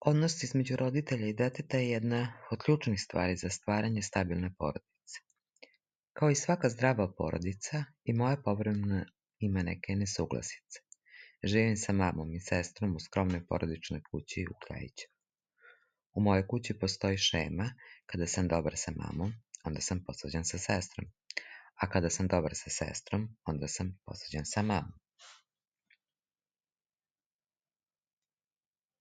Odnos između roditelja i deteta je jedna od ključnih stvari za stvaranje stabilne porodice. Kao i svaka zdrava porodica, i moja povremeno ima neke nesuglasice. Živim sa mamom i sestrom u skromnoj porodičnoj kući u Kljajiću. U mojoj kući postoji šema: kada sam dobar sa mamom, onda sam posvađan sa sestrom, a kada sam dobar sa sestrom, onda sam posvađan sa mamom.